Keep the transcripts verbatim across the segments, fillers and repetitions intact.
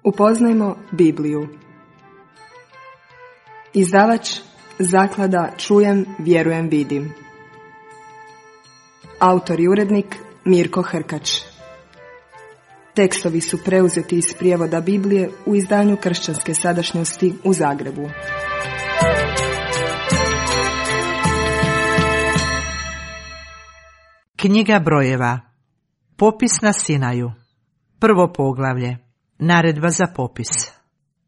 Upoznajmo Bibliju. Izdavač Zaklada Čujem, vjerujem, vidim. Autor i urednik Mirko Hrkač. Tekstovi su preuzeti iz prijevoda Biblije u izdanju Kršćanske sadašnjosti u Zagrebu. Knjiga brojeva. Popis na Sinaju. Prvo poglavlje. Naredba za popis.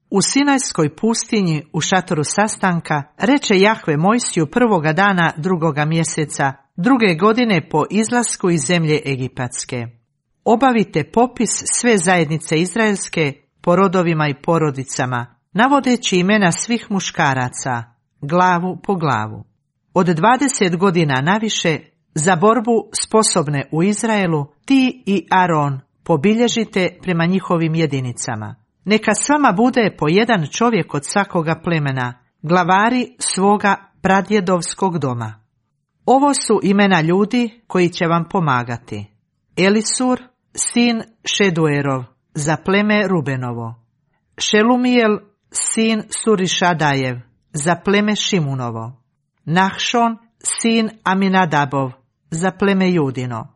U Sinajskoj pustinji u šatoru sastanka reče Jahve Mojsiju prvoga dana drugoga mjeseca, druge godine po izlasku iz zemlje Egipatske. Obavite popis sve zajednice izraelske po rodovima i porodicama, navodeći imena svih muškaraca, glavu po glavu. Od dvadeset godina naviše, za borbu sposobne u Izraelu, ti i Aron pobilježite prema njihovim jedinicama. Neka s vama bude po jedan čovjek od svakoga plemena, glavari svoga pradjedovskog doma. Ovo su imena ljudi koji će vam pomagati. Elisur, sin Šeduerov, za pleme Rubenovo. Šelumijel, sin Surišadajev, za pleme Šimunovo. Nahšon, sin Aminadabov, za pleme Judino.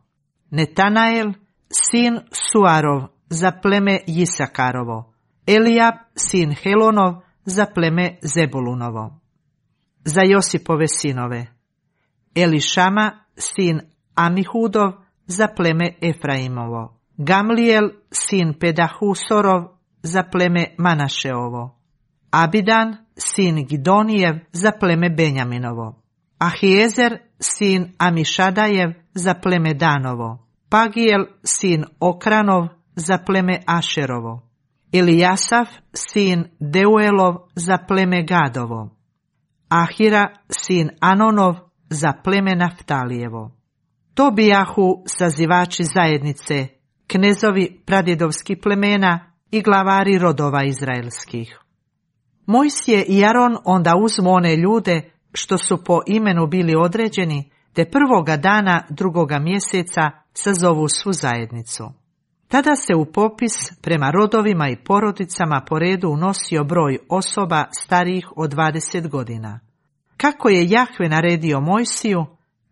Netanael, sin Suarov, za pleme Jisakarovo. Elijab, sin Helonov, za pleme Zebulunovo. Za Josipove sinove. Elišama, sin Amihudov, za pleme Efraimovo. Gamlijel, sin Pedahusorov, za pleme Manašeovo. Abidan, sin Gidonijev, za pleme Benjaminovo. Ahijezer, sin Amišadajev, za pleme Danovo. Pagijel, sin Okranov, za pleme Ašerovo. Ilijasaf, sin Deuelov, za pleme Gadovo. Ahira, sin Anonov, za pleme Naftalijevo. To bijahu sazivači zajednice, knezovi pradjedovskih plemena i glavari rodova izraelskih. Mojsije i Aron onda uzmu one ljude što su po imenu bili određeni, te prvoga dana drugoga mjeseca sazovu svu zajednicu. Tada se u popis prema rodovima i porodicama po redu unosio broj osoba starijih od dvadeset godina. Kako je Jahve naredio Mojsiju,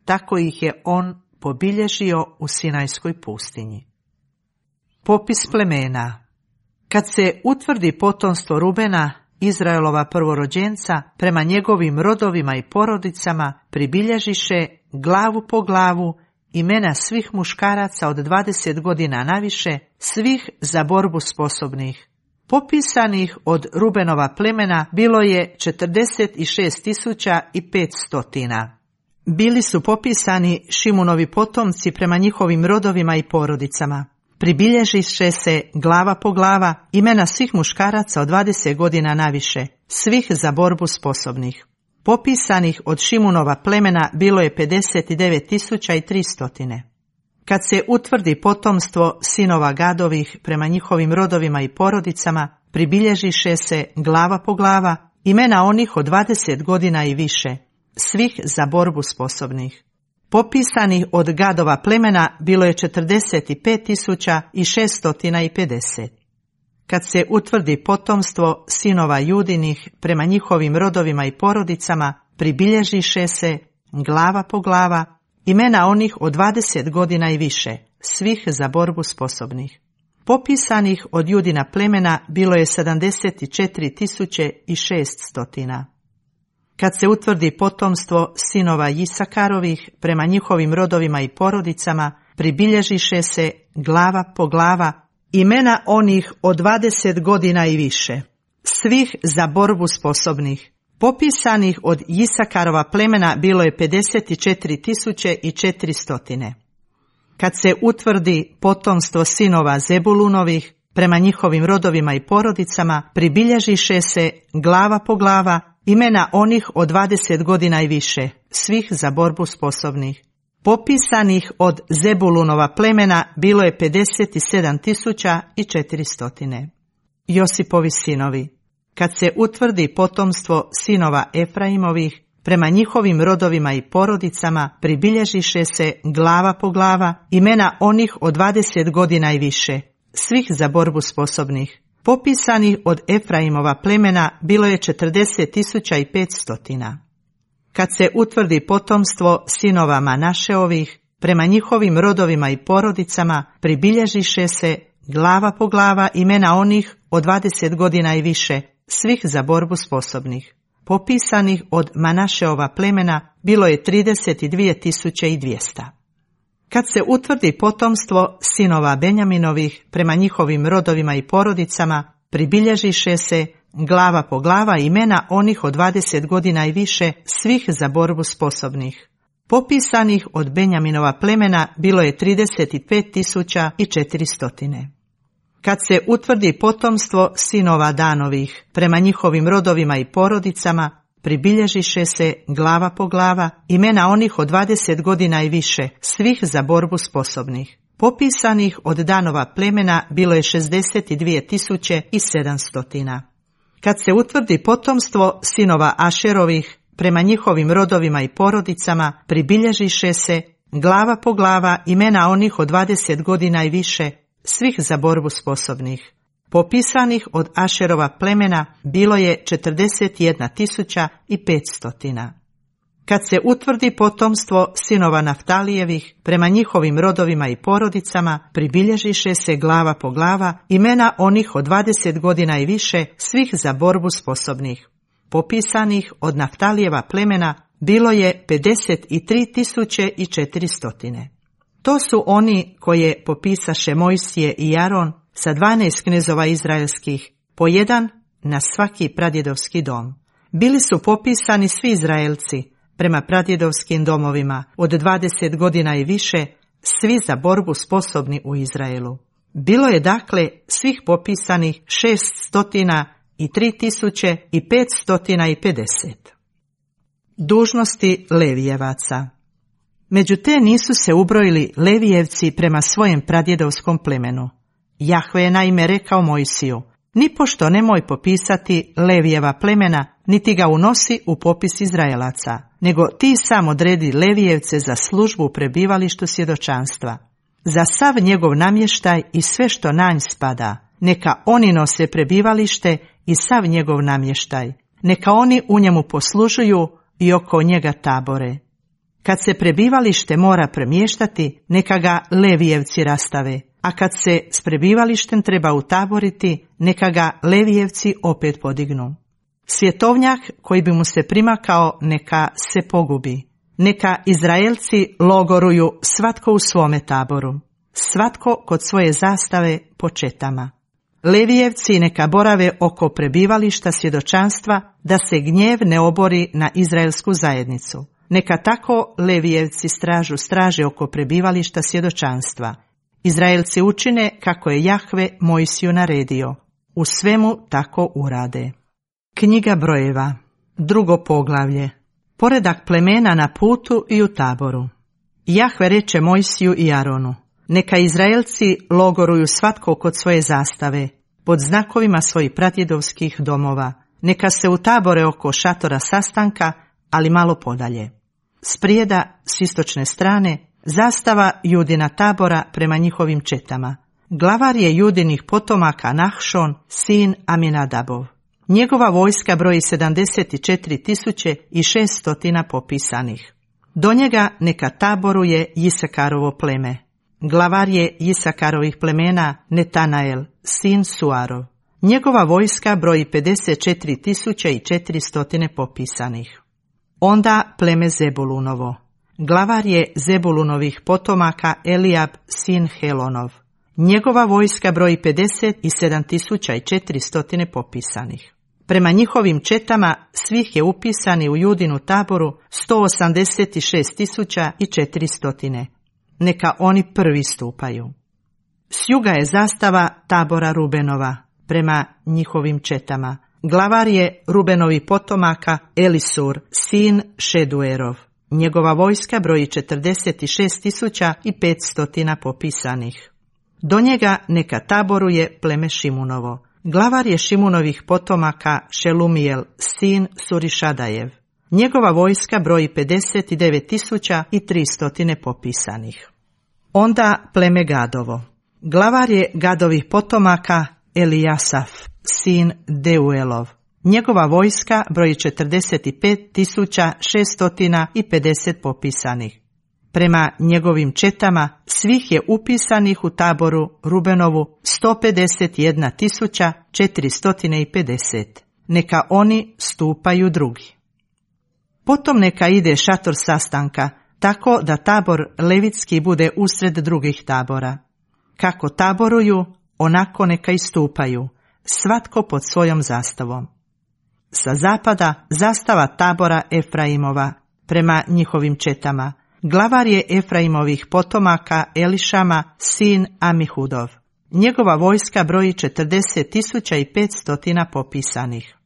tako ih je on pobilježio u Sinajskoj pustinji. Popis plemena. Kad se utvrdi potomstvo Rubena, Izraelova prvorođenca, prema njegovim rodovima i porodicama pribilježiše glavu po glavu imena svih muškaraca od dvadeset godina naviše, svih za borbu sposobnih. Popisanih od Rubenova plemena bilo je četrdeset šest tisuća petsto. Bili su popisani Šimunovi potomci prema njihovim rodovima i porodicama. Pribilježiše se glava po glava imena svih muškaraca od dvadeset godina naviše, svih za borbu sposobnih. Popisanih od Šimunova plemena bilo je pedeset devet tisuća tristo. Kad se utvrdi potomstvo sinova Gadovih prema njihovim rodovima i porodicama, pribilježiše se glava po glava imena onih od dvadeset godina i više, svih za borbu sposobnih. Popisanih od Gadova plemena bilo je četrdeset pet tisuća šesto pedeset. Kad se utvrdi potomstvo sinova Judinih prema njihovim rodovima i porodicama, pribilježiše se glava po glava imena onih od dvadeset godina i više, svih za borbu sposobnih. Popisanih od Judina plemena bilo je sedamdeset četiri tisuće šesto. Kad se utvrdi potomstvo sinova Jisakarovih prema njihovim rodovima i porodicama, pribilježiše se glava po glava imena onih od dvadeset godina i više, svih za borbu sposobnih. Popisanih od Jisakarova plemena bilo je pedeset četiri tisuće četiristo. Kad se utvrdi potomstvo sinova Zebulunovih prema njihovim rodovima i porodicama, pribilježiše se glava po glava imena onih od dvadeset godina i više, svih za borbu sposobnih. Popisanih od Zebulunova plemena bilo je pedeset sedam tisuća četiristo. Josipovi sinovi. Kad se utvrdi potomstvo sinova Efraimovih prema njihovim rodovima i porodicama, pribilježiše se glava po glava imena onih od dvadeset godina i više, svih za borbu sposobnih. Popisanih od Efraimova plemena bilo je četrdeset tisuća i petsto. Kad se utvrdi potomstvo sinova Manašeovih, prema njihovim rodovima i porodicama pribilježiše se glava po glava imena onih od dvadeset godina i više, svih za borbu sposobnih. Popisanih od Manašeova plemena bilo je trideset dvije tisuće i dvjesto. Kad se utvrdi potomstvo sinova Benjaminovih, prema njihovim rodovima i porodicama pribilježiše se glava po glava imena onih od dvadeset godina i više, svih za borbu sposobnih. Popisanih od Benjaminova plemena bilo je trideset pet tisuća i četiristo. Kad se utvrdi potomstvo sinova Danovih, prema njihovim rodovima i porodicama pribilježiše se glava po glava imena onih od dvadeset godina i više, svih za borbu sposobnih. Popisanih od Danova plemena bilo je šezdeset dvije tisuće i sedamsto. Kad se utvrdi potomstvo sinova Ašerovih, prema njihovim rodovima i porodicama pribilježiše se glava po glava imena onih od dvadeset godina i više, svih za borbu sposobnih. Popisanih od Ašerova plemena bilo je četrdeset jedna tisuća i petsto. Kad se utvrdi potomstvo sinova Naftalijevih, prema njihovim rodovima i porodicama pribilježiše se glava po glava imena onih od dvadeset godina i više, svih za borbu sposobnih. Popisanih od Naftalijeva plemena bilo je pedeset tri tisuće i četiristo. To su oni koje popisaše Mojsije i Aron sa dvanaest knezova izraelskih, po jedan na svaki pradjedovski dom. Bili su popisani svi Izraelci prema pradjedovskim domovima od dvadeset godina i više, svi za borbu sposobni u Izraelu. Bilo je dakle svih popisanih šeststotina i tri tisuće i petstotina i pedeset. Dužnosti Levijevaca. Među te nisu se ubrojili Levijevci prema svojem pradjedovskom plemenu. Jahve je naime rekao Mojsiju: nipošto nemoj popisati Levijeva plemena, niti ga unosi u popis Izraelaca, nego ti sam odredi Levijevce za službu u prebivalištu svjedočanstva. Za sav njegov namještaj i sve što na nj spada, neka oni nose prebivalište i sav njegov namještaj. Neka oni u njemu poslužuju i oko njega tabore. Kad se prebivalište mora premještati, neka ga Levijevci rastave, a kad se s prebivalištem treba utaboriti, neka ga Levijevci opet podignu. Svjetovnjak koji bi mu se primakao, neka se pogubi. Neka Izraelci logoruju svatko u svome taboru, svatko kod svoje zastave po četama. Levijevci neka borave oko prebivališta svjedočanstva, da se gnjev ne obori na izraelsku zajednicu. Neka tako Levijevci stražu straže oko prebivališta svjedočanstva. Izraelci učine kako je Jahve Mojsiju naredio. U svemu tako urade. Knjiga brojeva. Drugo poglavlje. Poredak plemena na putu i u taboru. Jahve reče Mojsiju i Aronu: neka Izraelci logoruju svatko kod svoje zastave, pod znakovima svojih pradjedovskih domova. Neka se utabore oko šatora sastanka, ali malo podalje. Sprijeda, s istočne strane, zastava Judina tabora prema njihovim četama. Glavar je Judinih potomaka Nahšon, sin Aminadabov. Njegova vojska broji sedamdeset četiri tisuće i šesto popisanih. Do njega neka taboruje Jisakarovo pleme. Glavar je Jisakarovih plemena Netanael, sin Suarov. Njegova vojska broji pedeset četiri tisuće i četiristo popisanih. Onda pleme Zebulunovo. Glavar je Zebulunovih potomaka Elijab, sin Helonov. Njegova vojska broji pedeset sedam tisuća i četiristo popisanih. Prema njihovim četama svih je upisani u Judinu taboru sto osamdeset šest tisuća i četiristo. Neka oni prvi stupaju. S juga je zastava tabora Rubenova, prema njihovim četama. Glavar je Rubenovi potomaka Elisur, sin Šeduerov. Njegova vojska broji četrdeset šest tisuća i petsto popisanih. Do njega neka taboruje pleme Šimunovo. Glavar je Šimunovih potomaka Šelumijel, sin Surišadajev. Njegova vojska broji pedeset devet tisuća i tristo popisanih. Onda pleme Gadovo. Glavar je Gadovih potomaka Elijasaf, sin Deuelov. Njegova vojska broji četrdeset pet tisuća šesto pedeset popisanih. Prema njegovim četama svih je upisanih u taboru Rubenovu sto pedeset jedna tisuća četiristo pedeset. Neka oni stupaju drugi. Potom neka ide šator sastanka, tako da tabor levitski bude usred drugih tabora. Kako taboruju, onako neka istupaju, svatko pod svojom zastavom. Sa zapada zastava tabora Efraimova, prema njihovim četama. Glavar je Efraimovih potomaka Elišama, sin Amihudov. Njegova vojska broji četrdeset tisuća petsto popisanih.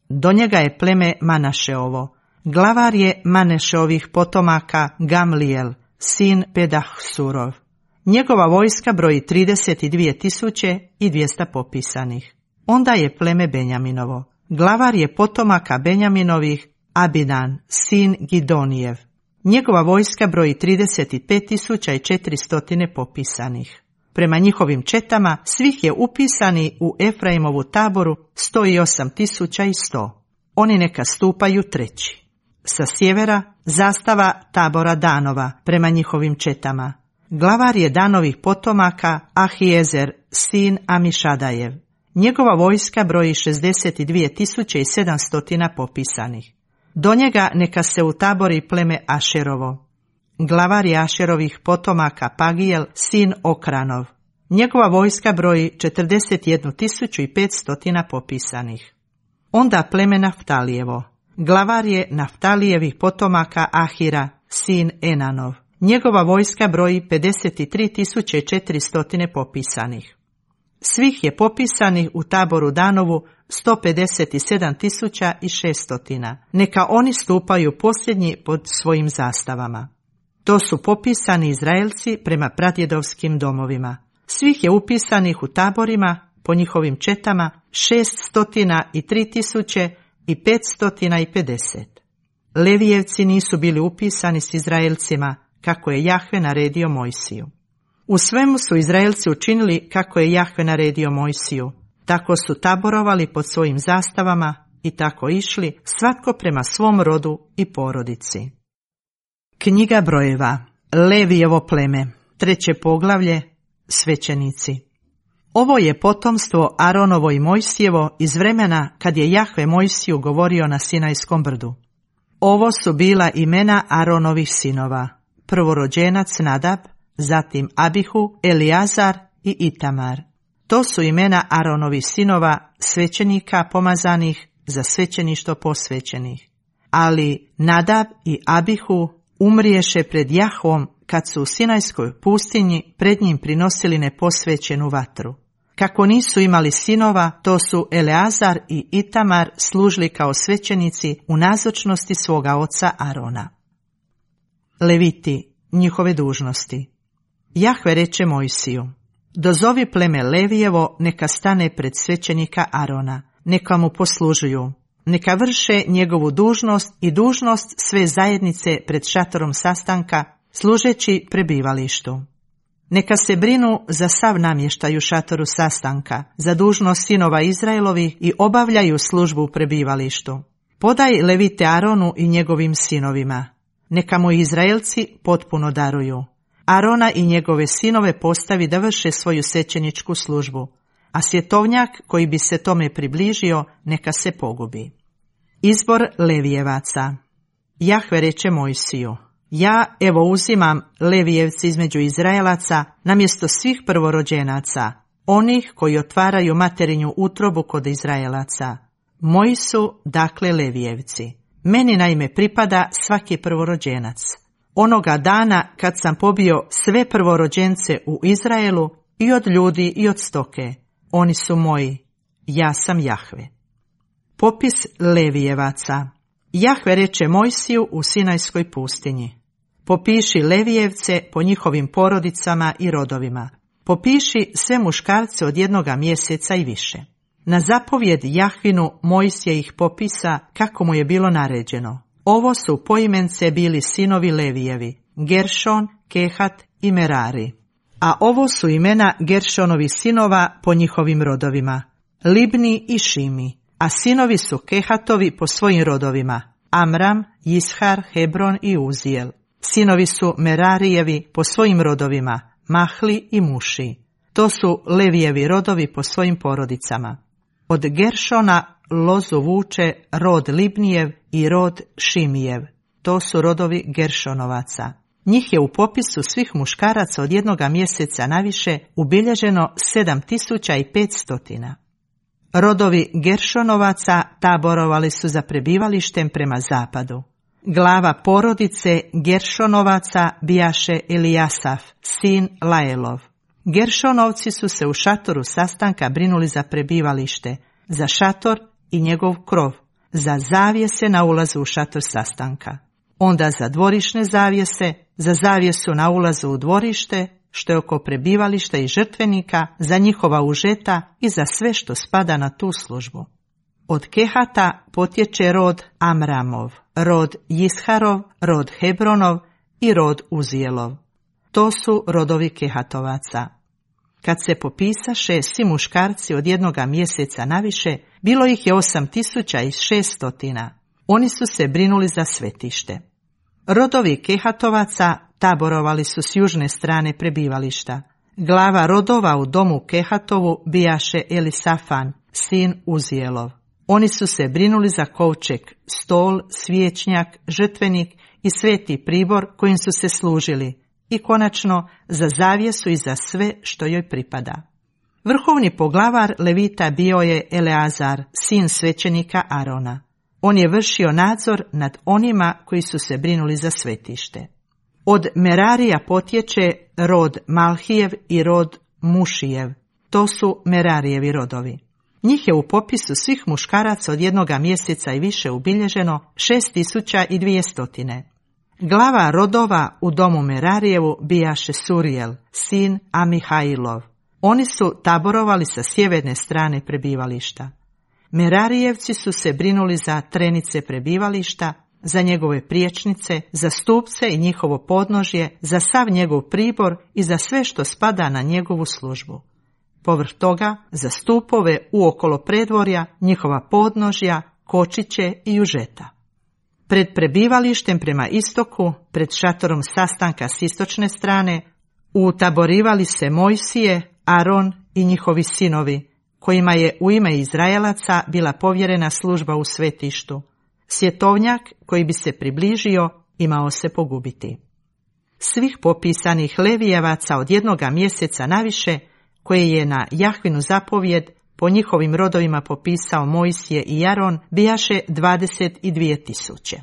Do njega je pleme Manašeovo. Glavar je Manešeovih potomaka Gamlijel, sin Pedahsurov. Njegova vojska broji trideset dvije tisuće dvjesto popisanih. Onda je pleme Benjaminovo. Glavar je potomaka Benjaminovih Abidan, sin Gidonijev. Njegova vojska broji trideset pet tisuća četiristo popisanih. Prema njihovim četama svih je upisani u Efraimovu taboru sto osam tisuća sto. Oni neka stupaju treći. Sa sjevera zastava tabora Danova prema njihovim četama. Glavar je Danovih potomaka Ahijezer, sin Amišadajev. Njegova vojska broji šezdeset dvije tisuće sedamsto popisanih. Do njega neka se utabori pleme Ašerovo. Glavar je Ašerovih potomaka Pagijel, sin Okranov. Njegova vojska broji četrdeset jednu tisuću petsto popisanih. Onda pleme Naftalijevo. Glavar je Naftalijevih potomaka Ahira, sin Enanov. Njegova vojska broji pedeset tri tisuće četiristo popisanih. Svih je popisanih u taboru Danovu sto pedeset sedam tisuća šesto. Neka oni stupaju posljednji pod svojim zastavama. To su popisani Izraelci prema pradjedovskim domovima. Svih je upisanih u taborima po njihovim četama šeststo tri tisuće petsto pedeset. Levijevci nisu bili upisani s Izraelcima, kako je Jahve naredio Mojsiju. U svemu su Izraelci učinili kako je Jahve naredio Mojsiju. Tako su taborovali pod svojim zastavama i tako išli, svatko prema svom rodu i porodici. Knjiga brojeva. Levijevo pleme. Treće poglavlje. Svećenici. Ovo je potomstvo Aronovo i Mojsijevo iz vremena kad je Jahve Mojsiju govorio na Sinajskom brdu. Ovo su bila imena Aronovih sinova. Prvorođenac Nadab, zatim Abihu, Eliazar i Itamar. To su imena Aronovih sinova, svećenika pomazanih, za svećeništvo posvećenih. Ali Nadab i Abihu umriješe pred Jahvom kad su u Sinajskoj pustinji pred njim prinosili neposvećenu vatru. Kako nisu imali sinova, to su Eleazar i Itamar služili kao svećenici u nazočnosti svoga oca Arona. Leviti, njihove dužnosti. Jahve reče Mojsiju: dozovi pleme Levijevo neka stane pred svećenika Arona, neka mu poslužuju, neka vrše njegovu dužnost i dužnost sve zajednice pred šatorom sastanka, služeći prebivalištu. Neka se brinu za sav namještaj u šatoru sastanka, za dužnost sinova Izraelovi i obavljaju službu u prebivalištu. Podaj levite Aronu i njegovim sinovima. Neka mu Izraelci potpuno daruju. Arona i njegove sinove postavi da vrše svoju svećeničku službu, a svjetovnjak koji bi se tome približio neka se pogubi. Izbor Levijevaca. Jahve reče Mojsiju: ja evo uzimam Levijevci između Izraelaca namjesto svih prvorođenaca, onih koji otvaraju materinju utrobu kod Izraelaca. Moji su dakle Levijevci. Meni naime pripada svaki prvorođenac. Onoga dana kad sam pobio sve prvorođence u Izraelu, i od ljudi i od stoke, oni su moji, ja sam Jahve. Popis Levijevaca. Jahve reče Mojsiju u Sinajskoj pustinji: popiši Levijevce po njihovim porodicama i rodovima. Popiši sve muškarce od jednoga mjeseca i više. Na zapovjed Jahvinu Mojsije ih popisa kako mu je bilo naređeno. Ovo su poimence bili sinovi Levijevi: Geršon, Kehat i Merari. A ovo su imena Geršonovih sinova po njihovim rodovima: Libni i Šimi, a sinovi su Kehatovi po svojim rodovima: Amram, Ishar, Hebron i Uzijel. Sinovi su Merarijevi po svojim rodovima: Mahli i Muši. To su Levijevi rodovi po svojim porodicama. Od Geršona lozu vuče rod Libnijev i rod Šimijev. To su rodovi Geršonovaca. Njih je u popisu svih muškaraca od jednoga mjeseca naviše ubilježeno sedam tisuća petsto. Rodovi Geršonovaca taborovali su za prebivalištem prema zapadu. Glava porodice Geršonovaca bijaše Elijasaf, sin Laelov. Geršonovci su se u šatoru sastanka brinuli za prebivalište, za šator i njegov krov, za zavjese na ulazu u šator sastanka. Onda za dvorišne zavjese, za zavjesu na ulazu u dvorište, što je oko prebivališta i žrtvenika, za njihova užeta i za sve što spada na tu službu. Od Kehata potječe rod Amramov, rod Isharov, rod Hebronov i rod Uzijelov. To su rodovi Kehatovaca. Kad se popisaše svi muškarci od jednoga mjeseca naviše, bilo ih je osam tisuća šest. Oni su se brinuli za svetište. Rodovi Kehatovaca taborovali su s južne strane prebivališta. Glava rodova u domu Kehatovu bijaše Elisafan, sin Uzijelov. Oni su se brinuli za kovčeg, stol, svječnjak, žrtvenik i sveti pribor kojim su se služili, i konačno za zavjesu i za sve što joj pripada. Vrhovni poglavar Levita bio je Eleazar, sin svećenika Arona. On je vršio nadzor nad onima koji su se brinuli za svetište. Od Merarija potječe rod Malhijev i rod Mušijev. To su Merarijevi rodovi. Njih je u popisu svih muškaraca od jednoga mjeseca i više ubilježeno šest tisuća dvjesto. Glava rodova u domu Merarijevu bijaše Surijel, sin Amihajlov. Oni su taborovali sa sjeverne strane prebivališta. Merarijevci su se brinuli za trenice prebivališta, za njegove priječnice, za stupce i njihovo podnožje, za sav njegov pribor i za sve što spada na njegovu službu. Povrh toga, za stupove uokolo predvorja, njihova podnožja, kočiće i užeta. Pred prebivalištem prema istoku, pred šatorom sastanka s istočne strane, utaborivali se Mojsije, Aron i njihovi sinovi, kojima je u ime Izraelaca bila povjerena služba u svetištu. Svjetovnjak koji bi se približio imao se pogubiti. Svih popisanih Levijevaca od jednoga mjeseca naviše, koje je na Jahvinu zapovjed po njihovim rodovima popisao Mojsije i Aron, bijaše dvadeset dvije tisuće.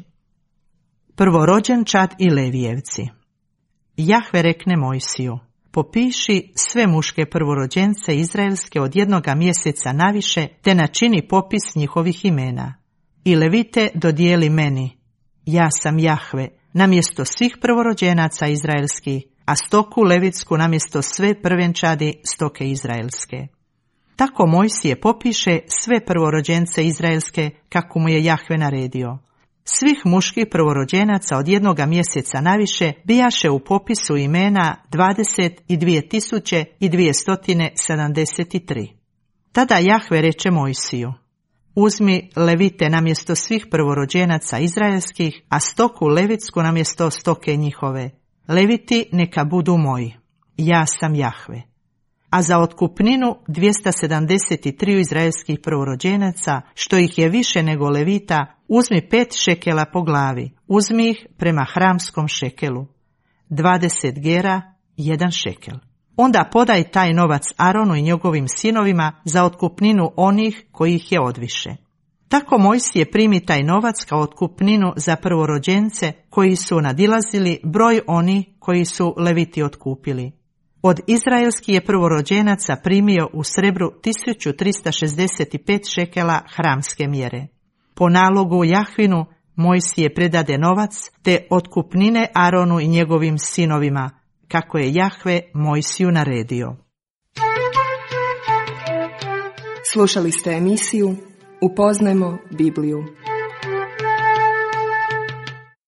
Prvorođenčad i Levijevci. Jahve rekne Mojsiju: popiši sve muške prvorođence izraelske od jednoga mjeseca naviše, te načini popis njihovih imena. I Levite dodijeli meni, ja sam Jahve, namjesto svih prvorođenaca izraelskih, a stoku levitsku namjesto sve prvenčadi stoke izraelske. Tako Mojsije popiše sve prvorođence izraelske, kako mu je Jahve naredio. Svih muških prvorođenaca od jednoga mjeseca naviše bijaše u popisu imena dvadeset dvije tisuće dvjesto sedamdeset tri. Tada Jahve reče Mojsiju: uzmi Levite namjesto svih prvorođenaca izraelskih, a stoku levitsku namjesto stoke njihove. Leviti neka budu moji. Ja sam Jahve. A za otkupninu dvjesto sedamdeset tri izraelskih prvorođenaca, što ih je više nego Levita, uzmi pet šekela po glavi, uzmi ih prema hramskom šekelu. Dvadeset gera, jedan šekel. Onda podaj taj novac Aronu i njegovim sinovima za otkupninu onih koji ih je odviše. Tako Mojsije primi taj novac kao otkupninu za prvorođence koji su nadilazili broj onih koji su Leviti otkupili. Od izraelskih je prvorođenaca primio u srebru tisuću trista šezdeset pet šekela hramske mjere. Po nalogu Jahvinu Mojsije predade novac te otkupnine Aronu i njegovim sinovima, kako je Jahve Mojsiju naredio. Slušali ste emisiju Upoznajmo Bibliju.